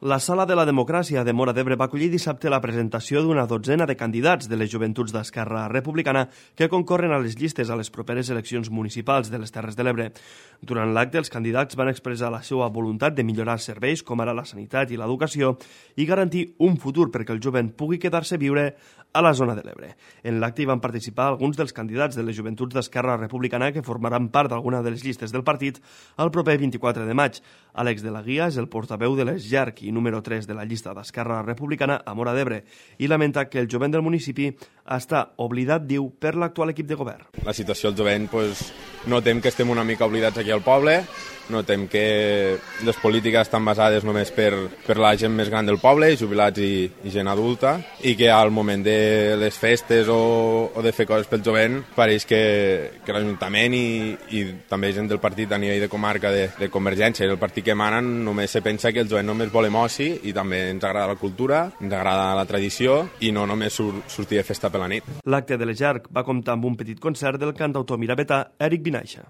La Sala de la Democràcia de Móra d'Ebre va acollir dissabte la presentació d'una dotzena de candidats de les joventuts d'Esquerra Republicana que concorren a les llistes a les properes eleccions municipals de les Terres de l'Ebre. Durant l'acte, els candidats van expressar la seva voluntat de millorar serveis com ara la sanitat i l'educació i garantir un futur perquè el jovent pugui quedar-se a viure a la zona de l'Ebre. En l'acte hi van participar alguns dels candidats de les joventuts d'Esquerra Republicana que formaran part d'alguna de les llistes del partit el proper 24 de maig. Àlex de la Guia és el portaveu de l'ESGERC i número 3 de la llista d'Esquerra Republicana a Móra d'Ebre i lamenta que el jovent del municipi està oblidat, diu, per l'actual equip de govern. La situació del jovent, notem que estem una mica oblidats aquí al poble, notem que les polítiques estan basades només per la gent més gran del poble, jubilats i gent adulta, i que al moment de les festes o de fer coses pel jovent pareix que l'Ajuntament i també gent del partit a nivell de comarca de Convergència i el partit que emanen només se pensa que el jovent només vol emoci i també ens agrada la cultura, ens agrada la tradició i no només sortir de festa per la nit. L'acte de l'ESGERC va comptar amb un petit concert del cantautor miravetà Eric Vinaixa.